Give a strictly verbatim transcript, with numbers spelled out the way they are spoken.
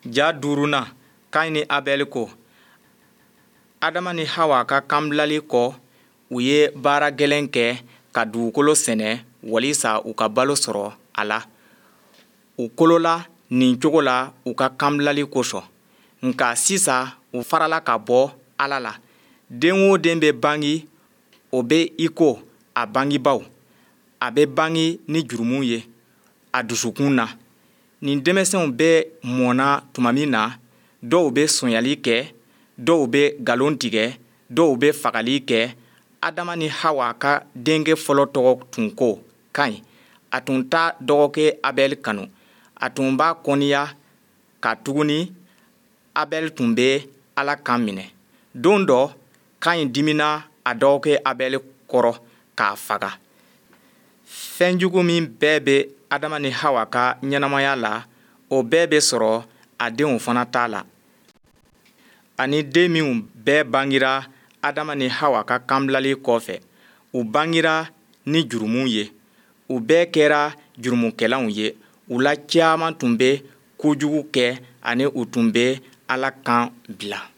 Ja duurunan, Kaɲi ni Abɛli ko. Adama ni Hawa ka kanbilali kɔ, u ye baara gɛlɛn kɛ ka dugukolo sɛnɛ walisa u ka balo sɔrɔ a la. U kolola nin cogo la u ka kanbilali kosɔn. Nka sisan u farala ka bɔ Ala la. Den o den bɛ bange, o bɛ iko a bangebaaw. A bɛ bange ni jurumu ye a dusukun na. Nin denmisɛnw bɛ mɔna tuma min na, dɔw bɛ sonyali kɛ, dɔw bɛ nkalon tigɛ, dɔw bɛ fagali kɛ. Adama ni Hawa ka denkɛ fɔlɔ tɔgɔ tun ko Kaɲi. A tun t'a dɔgɔkɛ Abɛli kanu. A tun b'a kɔniya katuguni Abɛli tun bɛ Ala kan minɛ. Don dɔ, Kaɲi diminna a dɔgɔkɛ Abɛli kɔrɔ k'a faga. Fɛnjugu min bɛɛ bɛ Adama ni Hawa ka ɲɛnamaya la, o bɛɛ bɛ sɔrɔ a denw fana ta la. Ani den minw bɛɛ bangira Adama ni Hawa ka kanbilali kɔfɛ, u bangira ni jurumu ye. U bɛɛ kɛra jurumukɛlaw ye. U la caman tun bɛ kojugu kɛ ani u tun bɛ Ala kan bila.